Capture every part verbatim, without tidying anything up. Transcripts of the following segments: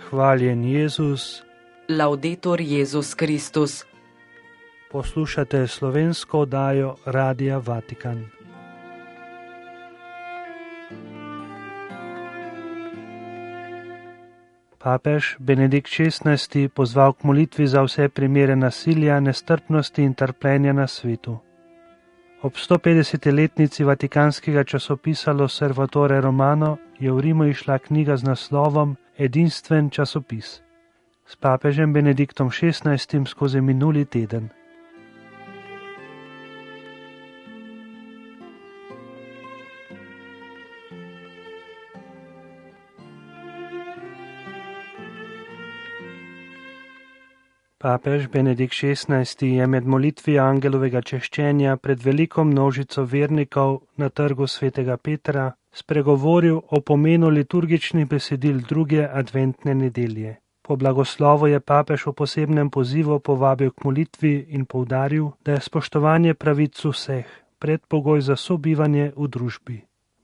Hvaljen Jezus. Laudetur Jezus Kristus. Poslušate slovensko oddajo Radia Vatikan. Papež Benedikt šestnajsti pozval k molitvi za vse primere nasilja, nestrpnosti in trpljenja na svetu. Ob sto petdeseti letnici vatikanskega časopisa L'Osservatore Romano je v Rimu išla knjiga z naslovom Edinstven časopis s papežem Benediktom šestnajstim skozi minuli teden. Papež Benedikt šestnajsti je med molitvijo angelovega češčenja pred veliko množico vernikov na trgu svetega Petra spregovoril o pomenu liturgičnih besedil druge adventne nedelje. Po blagoslovu je papež v posebnem pozivu povabil k molitvi in poudaril, da je spoštovanje pravic vseh predpogoj za sobivanje v družbi.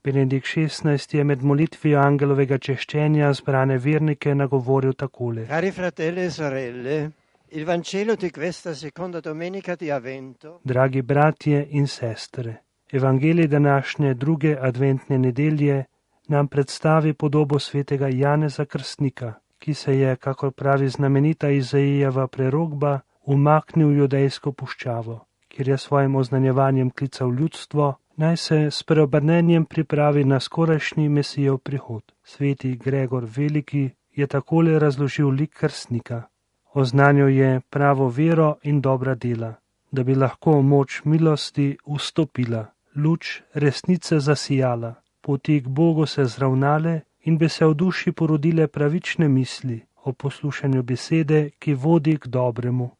Benedikt šestnajsti je med molitvijo angelovega češčenja zbrane vernike nagovoril takole. Cari fratelli e sorelle, il Vangelo di questa seconda domenica di Avvento. Dragi bratje in sestre, Evangelij današnje druge adventne nedelje nam predstavi podobo svetega Janeza Krstnika, ki se je, kakor pravi znamenita Izaijeva prerokba, umaknil v judejsko puščavo, kjer je svojim oznanjevanjem klical ljudstvo, naj se s preobrnenjem pripravi na skorajšnji Mesijev prihod. Sveti Gregor Veliki je takole razložil lik krstnika. Oznanil je pravo vero in dobra dela, da bi lahko moč milosti vstopila, luč resnice zasijala, poti k Bogu se zravnale in bi se v duši porodile pravične misli o poslušanju besede, ki vodi k dobremu.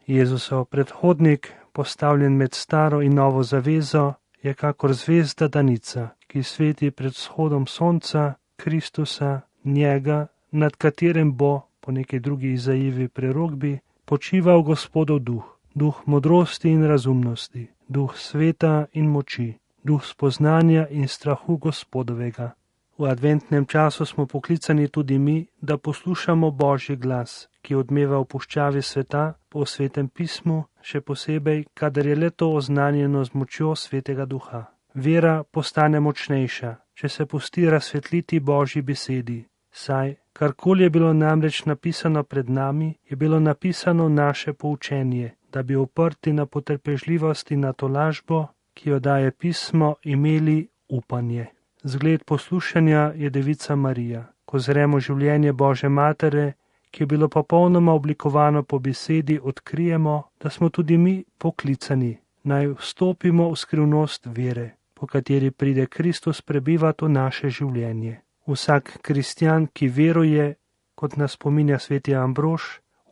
Jezusov predhodnik, postavljen med staro in novo zavezo, je kakor zvezda danica, ki sveti pred vzhodom sonca, Kristusa, njega, nad katerim bo, po neki drugi Izaijevi prerokbi, počival Gospodov duh, duh modrosti in razumnosti, duh sveta in moči, duh spoznanja in strahu Gospodovega. V adventnem času smo poklicani tudi mi, da poslušamo Božji glas, ki odmeva v puščavi sveta po svetem pismu, še posebej, kadar je le to oznanjeno z močjo svetega duha. Vera postane močnejša, če se pusti razsvetliti Božji besedi, saj karkoli je bilo namreč napisano pred nami, je bilo napisano naše poučenje, da bi oprti na potrpežljivost in na tolažbo, ki jo daje pismo, imeli upanje. Zgled poslušanja je Devica Marija, ko zremo življenje Božje matere, ki je bilo popolnoma oblikovano po besedi, odkrijemo, da smo tudi mi poklicani, naj vstopimo v skrivnost vere, po kateri pride Kristus prebivati v naše življenje. Vsak kristjan, ki veruje, kot nas spominja sveti Ambrož,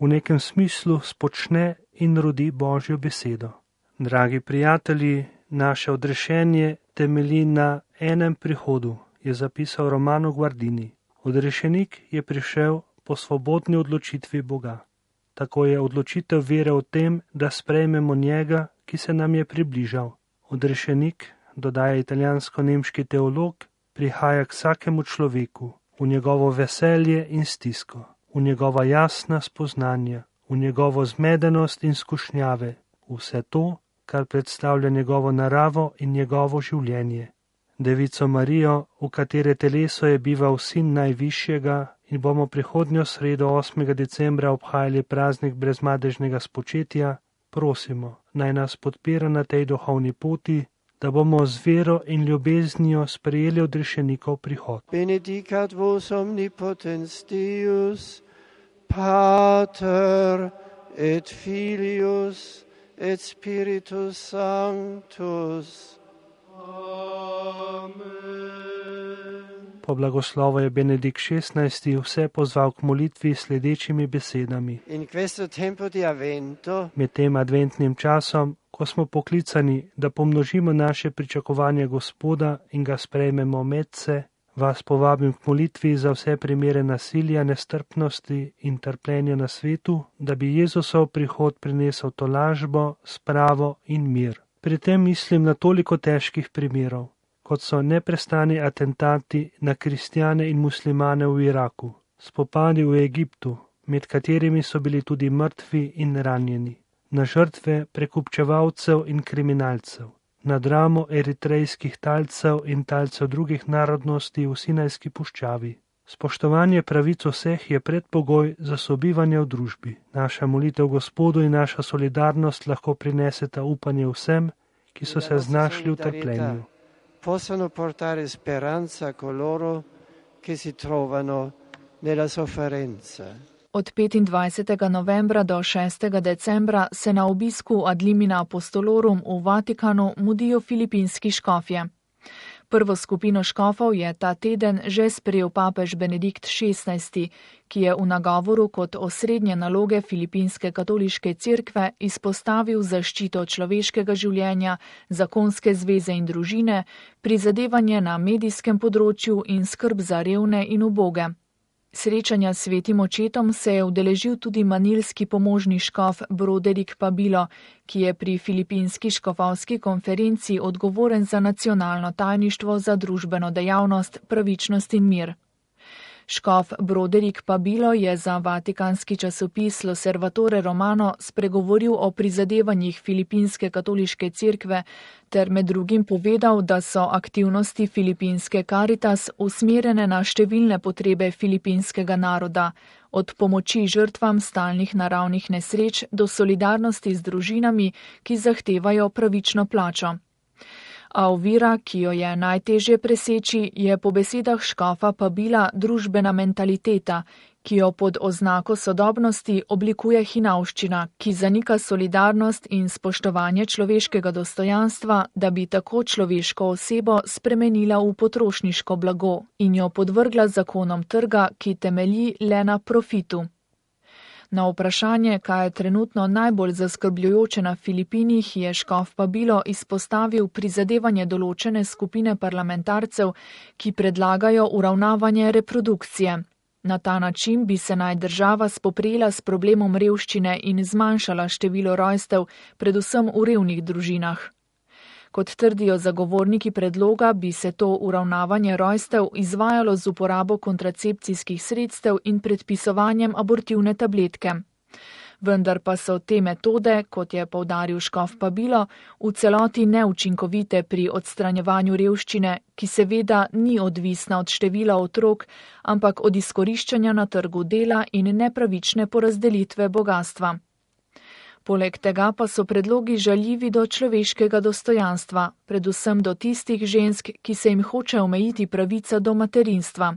v nekem smislu spočne in rodi Božjo besedo. Dragi prijatelji, naše odrešenje temelji na enem prihodu, je zapisal Romano Guardini. Odrešenik je prišel po svobodni odločitvi Boga. Tako je odločitev vere o tem, da sprejmemo njega, ki se nam je približal. Odrešenik, dodaja italijansko-nemški teolog, prihaja k vsakemu človeku, v njegovo veselje in stisko, v njegova jasna spoznanja, v njegovo zmedenost in skušnjave, vse to, kar predstavlja njegovo naravo in njegovo življenje. Devico Marijo, v katere teleso je bival sin najvišjega, in bomo prihodnjo sredo osmega decembra obhajali praznik brezmadežnega spočetja, prosimo, naj nas podpira na tej duhovni poti, da bomo z vero in ljubeznijo sprejeli odrešenikov prihod. Benedicat vos omnipotens Deus, Pater et Filius et Spiritus Sanctus. Amen. Po blagoslovu je Benedikt šestnajsti vse pozval k molitvi sledečimi besedami. In questo tempo di Avvento, med tem adventnim časom, ko smo poklicani, da pomnožimo naše pričakovanje Gospoda in ga sprejmemo medse, vas povabim k molitvi za vse primere nasilja, nestrpnosti in trpljenja na svetu, da bi Jezusov prihod prinesel tolažbo, spravo in mir. Pri tem mislim na toliko težkih primerov, kot so neprestani atentati na kristjane in muslimane v Iraku, spopadi v Egiptu, med katerimi so bili tudi mrtvi in ranjeni, na žrtve prekupčevalcev in kriminalcev, na dramo eritrejskih talcev in talcev drugih narodnosti v Sinajski puščavi. Spoštovanje pravic vseh je predpogoj za sobivanje v družbi. Naša molitev Gospodu in naša solidarnost lahko prineseta upanje vsem, ki so se znašli v trpljenju. Possono portare speranza a coloro che si trovano nella sofferenza. Od petindvajsetega novembra do šestega decembra se na obisku ad limina apostolorum v Vatikanu mudijo filipinski škofje. Prvo skupino škofov je ta teden že sprejel papež Benedikt šestnajsti, ki je v nagovoru kot osrednje naloge filipinske katoliške cerkve izpostavil zaščito človeškega življenja, zakonske zveze in družine, prizadevanje na medijskem področju in skrb za revne in uboge. Srečanja s svetim očetom se je udeležil tudi manilski pomožni škof Broderick Pabilo, ki je pri filipinski škofovski konferenci odgovoren za nacionalno tajništvo za družbeno dejavnost, pravičnost in mir. Škof Broderick Pabilo je za vatikanski časopis L'Osservatore Romano spregovoril o prizadevanjih filipinske katoliške cerkve ter med drugim povedal, da so aktivnosti filipinske Caritas usmerjene na številne potrebe filipinskega naroda, od pomoči žrtvam stalnih naravnih nesreč do solidarnosti z družinami, ki zahtevajo pravično plačo. A ovira, ki jo je najtežje preseči, je po besedah škofa Pabila družbena mentaliteta, ki jo pod oznako sodobnosti oblikuje hinavščina, ki zanika solidarnost in spoštovanje človeškega dostojanstva, da bi tako človeško osebo spremenila v potrošniško blago in jo podvrgla zakonom trga, ki temelji le na profitu. Na vprašanje, kaj je trenutno najbolj zaskrbljujoče na Filipinih, je škof Pabilo izpostavil prizadevanje določene skupine parlamentarcev, ki predlagajo uravnavanje reprodukcije. Na ta način bi se naj država spoprijela s problemom revščine in zmanjšala število rojstev, predvsem v revnih družinah. Kot trdijo zagovorniki predloga, bi se to uravnavanje rojstev izvajalo z uporabo kontracepcijskih sredstev in predpisovanjem abortivne tabletke. Vendar pa so te metode, kot je poudaril škof Pabilo, v celoti neučinkovite pri odstranjevanju revščine, ki seveda ni odvisna od števila otrok, ampak od izkoriščanja na trgu dela in nepravične porazdelitve bogastva. Poleg tega pa so predlogi žaljivi do človeškega dostojanstva, predvsem do tistih žensk, ki se jim hoče omejiti pravica do materinstva.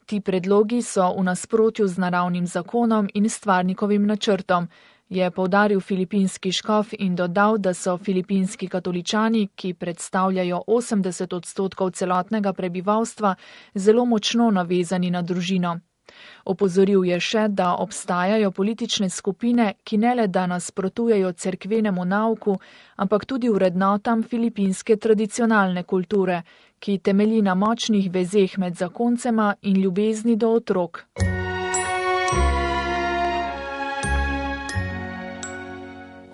Ti predlogi so v nasprotju z naravnim zakonom in stvarnikovim načrtom, je poudaril filipinski škof in dodal, da so filipinski katoličani, ki predstavljajo osemdeset odstotkov celotnega prebivalstva, zelo močno navezani na družino. Opozoril je še, da obstajajo politične skupine, ki ne le da nasprotujejo cerkvenemu nauku, ampak tudi vrednotam filipinske tradicionalne kulture, ki temelji na močnih vezeh med zakoncema in ljubezni do otrok.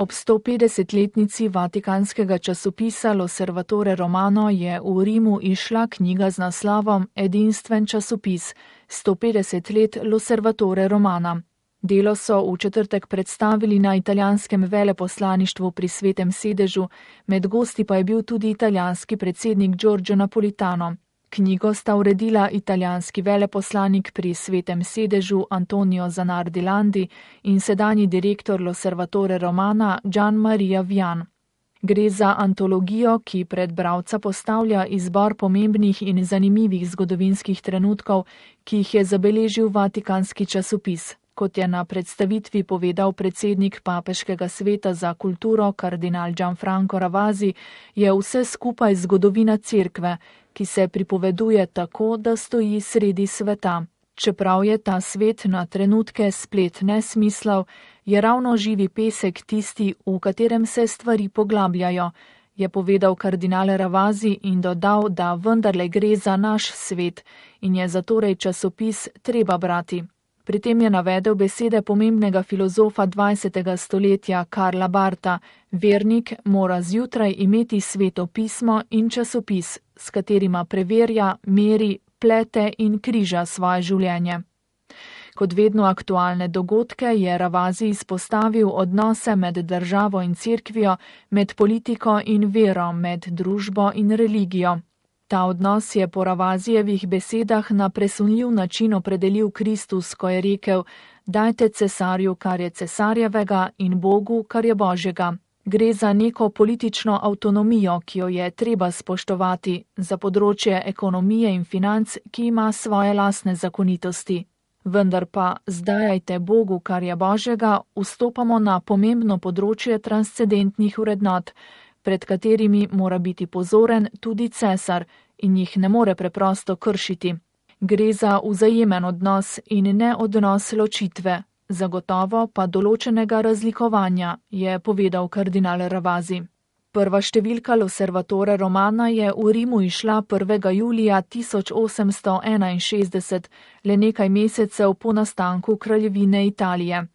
Ob sto petdesetletnici vatikanskega časopisa L'Osservatore Romano je v Rimu izšla knjiga z naslovom Edinstven časopis, sto petdeset let L'Osservatore Romana. Delo so v četrtek predstavili na italijanskem veleposlaništvu pri Svetem sedežu, med gosti pa je bil tudi italijanski predsednik Giorgio Napolitano. Knjigo sta uredila italijanski veleposlanik pri Svetem sedežu Antonio Zanardi Landi in sedanji direktor L'Osservatore Romana Gian Maria Vian. Gre za antologijo, ki pred bralca postavlja izbor pomembnih in zanimivih zgodovinskih trenutkov, ki jih je zabeležil vatikanski časopis. Kot je na predstavitvi povedal predsednik papeškega sveta za kulturo kardinal Gianfranco Ravasi, je vse skupaj zgodovina cerkve, ki se pripoveduje tako, da stoji sredi sveta. Čeprav je ta svet na trenutke splet nesmislov, je ravno živi pesek tisti, v katerem se stvari poglabljajo, je povedal kardinal Ravasi in dodal, da vendarle gre za naš svet in je zatorej časopis treba brati. Pri tem je navedel besede pomembnega filozofa dvajsetega stoletja Karla Barta: vernik mora zjutraj imeti sveto pismo in časopis, s katerima preverja, meri, plete in križa svoje življenje. Kot vedno aktualne dogodke je Ravasi izpostavil odnose med državo in cerkvijo, med politiko in vero, med družbo in religijo. Ta odnos je po Ravazijevih besedah na presunljiv način opredelil Kristus, ko je rekel: dajte cesarju, kar je cesarjevega, in Bogu, kar je Božjega. Gre za neko politično avtonomijo, ki jo je treba spoštovati, za področje ekonomije in financ, ki ima svoje lastne zakonitosti. Vendar pa zdajajte Bogu, kar je Božjega, vstopamo na pomembno področje transcendentnih vrednot, pred katerimi mora biti pozoren tudi cesar in jih ne more preprosto kršiti. Gre za vzajemen odnos in ne odnos ločitve, zagotovo pa določenega razlikovanja, je povedal kardinal Ravasi. Prva številka L'Osservatore Romana je v Rimu išla prvega julija tisoč osemsto enainšestdeset, le nekaj mesecev po nastanku kraljevine Italije.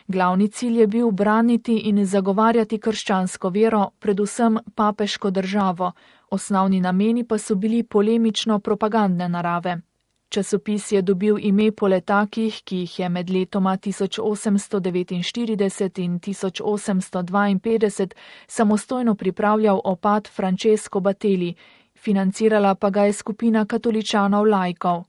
Glavni cilj je bil braniti in zagovarjati krščansko vero, predvsem papeško državo, osnovni nameni pa so bili polemično-propagandne narave. Časopis je dobil ime po letakih, ki jih je med letoma tisoč osemsto devetinštirideset in tisoč osemsto dvainpetdeset samostojno pripravljal opat Francesco Battelli, financirala pa ga je skupina katoličanov laikov.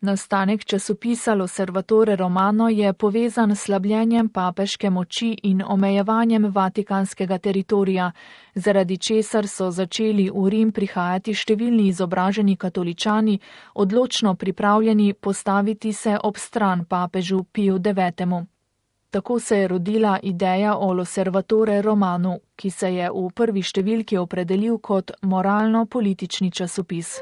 Nastanek časopisa L'Osservatore Romano je povezan s slabljenjem papeške moči in omejevanjem vatikanskega teritorija, zaradi česar so začeli v Rim prihajati številni izobraženi katoličani, odločno pripravljeni postaviti se ob stran papežu Piju devetemu. Tako se je rodila ideja o L'Osservatore Romanu, ki se je v prvi številki opredelil kot moralno-politični časopis.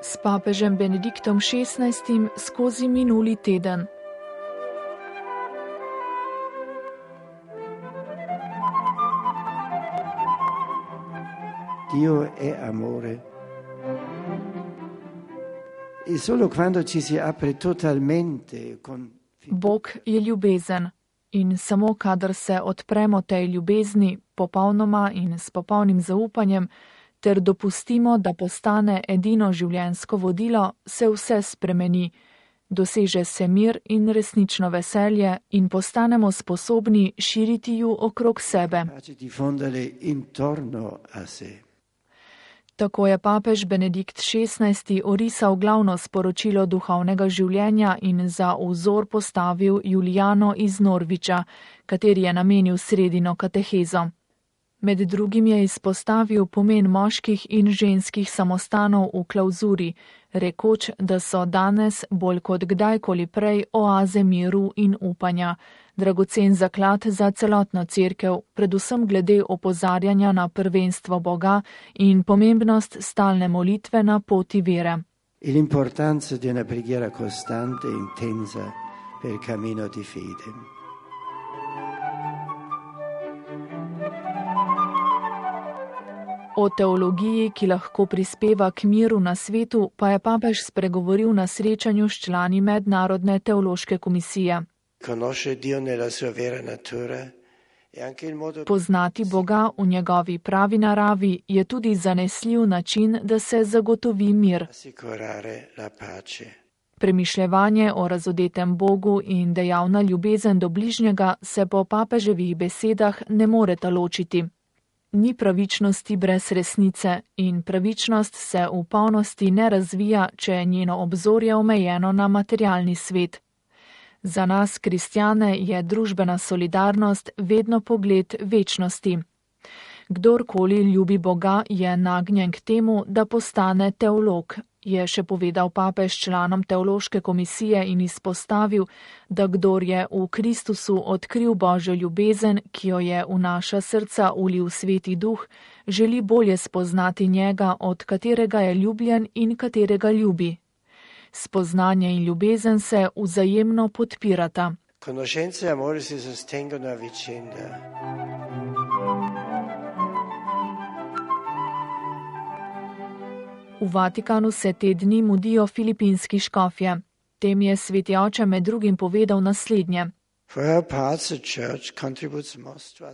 S papežem Benediktom šestnajstim skozi minuli teden. Dio è amore. E solo quando ci si apre totalmente con Bog je ljubezen in samo kadar se odpremo tej ljubezni popolnoma in s popolnim zaupanjem, ter dopustimo, da postane edino življenjsko vodilo, se vse spremeni, doseže se mir in resnično veselje in postanemo sposobni širiti ju okrog sebe. Tako je papež Benedikt šestnajsti orisal glavno sporočilo duhovnega življenja in za vzor postavil Julijano iz Norviča, kateri je namenil sredino katehezo. Med drugim je izpostavil pomen moških in ženskih samostanov v klauzuri, rekoč, da so danes bolj kot kdajkoli prej oaze miru in upanja, dragocen zaklad za celotno cerkev, predvsem glede opozarjanja na prvenstvo Boga in pomembnost stalne molitve na poti vere. L'importanza di una preghiera costante e intensa per il cammino di fede. O teologiji, ki lahko prispeva k miru na svetu, pa je papež spregovoril na srečanju s člani Mednarodne teološke komisije. Poznati Boga v njegovi pravi naravi je tudi zanesljiv način, da se zagotovi mir. Premišljevanje o razodetem Bogu in dejavna ljubezen do bližnjega se po papeževih besedah ne moreta ločiti. Ni pravičnosti brez resnice in pravičnost se v polnosti ne razvija, če je njeno obzorje omejeno na materialni svet. Za nas, kristjane, je družbena solidarnost vedno pogled večnosti. Kdorkoli ljubi Boga, je nagnjen k temu, da postane teolog, je še povedal papež članom teološke komisije in izpostavil, da kdor je v Kristusu odkril Božjo ljubezen, ki jo je v naša srca ulil Sveti Duh, želi bolje spoznati njega, od katerega je ljubljen in katerega ljubi. Spoznanje in ljubezen se vzajemno podpirata. Conoscenza e amore si sostengono a vicenda. V Vatikanu se te dni mudijo filipinski škofje. Tem je sveti oče med drugim povedal naslednje.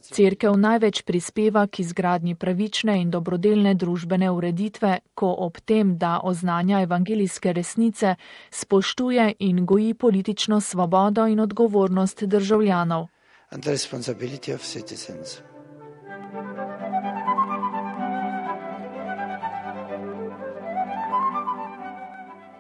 Cerkev največ prispeva k izgradnji pravične in dobrodelne družbene ureditve, ko ob tem, da oznanja evangelijske resnice, spoštuje in goji politično svobodo in odgovornost državljanov.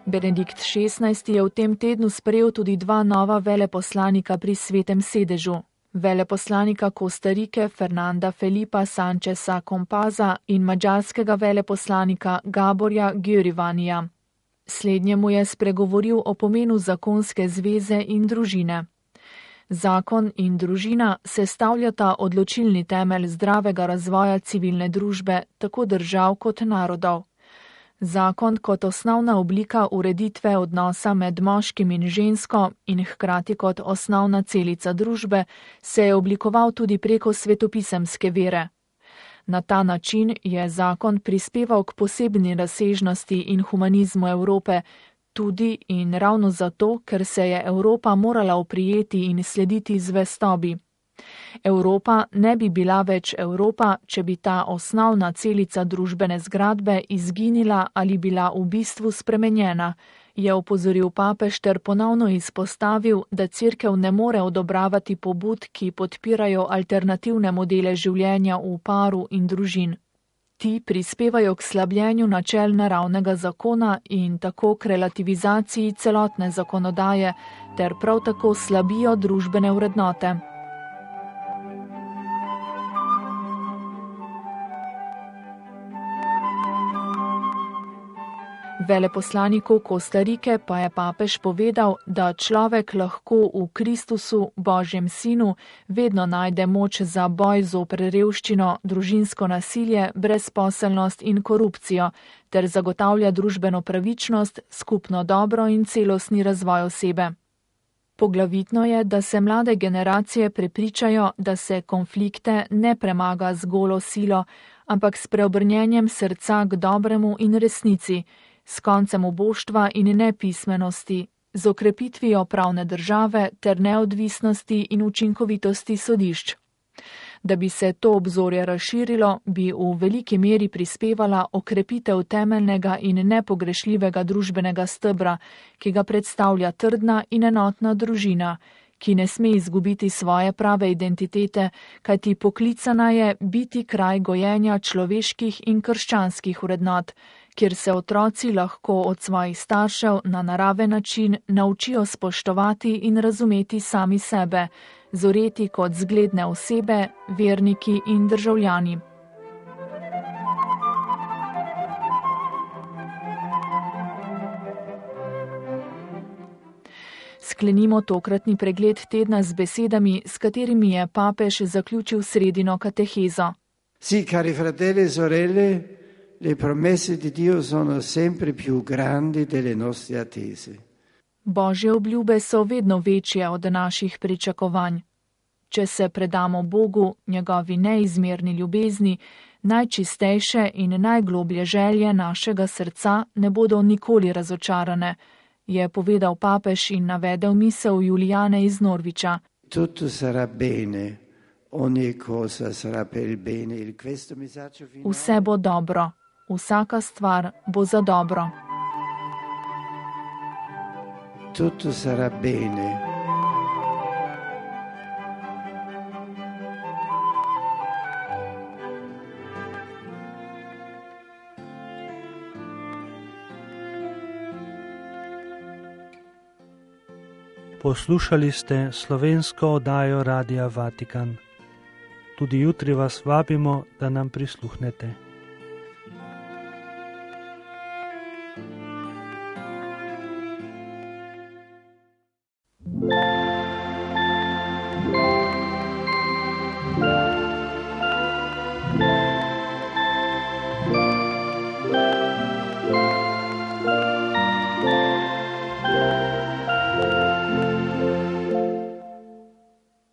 Benedikt šestnajsti je v tem tednu sprejel tudi dva nova veleposlanika pri Svetem sedežu. Veleposlanika Kostarike Fernanda Felipa Sancheza Kompaza in madžarskega veleposlanika Gaborja Gyurivanija. Slednjemu je spregovoril o pomenu zakonske zveze in družine. Zakon in družina sestavljata odločilni temelj zdravega razvoja civilne družbe, tako držav kot narodov. Zakon kot osnovna oblika ureditve odnosa med moškim in žensko in hkrati kot osnovna celica družbe se je oblikoval tudi preko svetopisemske vere. Na ta način je zakon prispeval k posebni razsežnosti in humanizmu Evrope, tudi in ravno zato, ker se je Evropa morala oprijeti in slediti zvestobi. Evropa ne bi bila več Evropa, če bi ta osnovna celica družbene zgradbe izginila ali bila v bistvu spremenjena, je opozoril papež ter ponovno izpostavil, da cerkev ne more odobravati pobud, ki podpirajo alternativne modele življenja v paru in družin. Ti prispevajo k slabljenju načel naravnega zakona in tako k relativizaciji celotne zakonodaje ter prav tako slabijo družbene vrednote. Veleposlaniku Kostarike pa je papež povedal, da človek lahko v Kristusu, Božjem sinu, vedno najde moč za boj zoper revščino, družinsko nasilje, brezposelnost in korupcijo, ter zagotavlja družbeno pravičnost, skupno dobro in celostni razvoj osebe. Poglavitno je, da se mlade generacije prepričajo, da se konflikte ne premaga z golo silo, ampak s preobrnjenjem srca k dobremu in resnici, s koncem uboštva in nepismenosti, z okrepitvijo pravne države ter neodvisnosti in učinkovitosti sodišč. Da bi se to obzorje razširilo, bi v veliki meri prispevala okrepitev temeljnega in nepogrešljivega družbenega stebra, ki ga predstavlja trdna in enotna družina, ki ne sme izgubiti svoje prave identitete, kajti poklicana je biti kraj gojenja človeških in krščanskih vrednot, kjer se otroci lahko od svojih staršev na naraven način naučijo spoštovati in razumeti sami sebe, zoreti kot zgledne osebe, verniki in državljani. Sklenimo tokratni pregled tedna z besedami, s katerimi je papež zaključil sredino katehezo. Sì, cari fratelli e sorelle, le promesse di Dio sono sempre più grandi delle nostre attese. Božje obljube so vedno večje od naših pričakovanj. Če se predamo Bogu, njegovi neizmerni ljubezni, najčistejše in najgloblje želje našega srca ne bodo nikoli razočarane, je povedal papež in navedel misel Julijane iz Norviča. Tutto sarà bene, ogni cosa sarà per il bene. Vse bo dobro, vsaka stvar bo za dobro. Tutto sarà bene. Poslušali ste slovensko oddajo Radia Vatikan. Tudi jutri vas vabimo, da nam prisluhnete.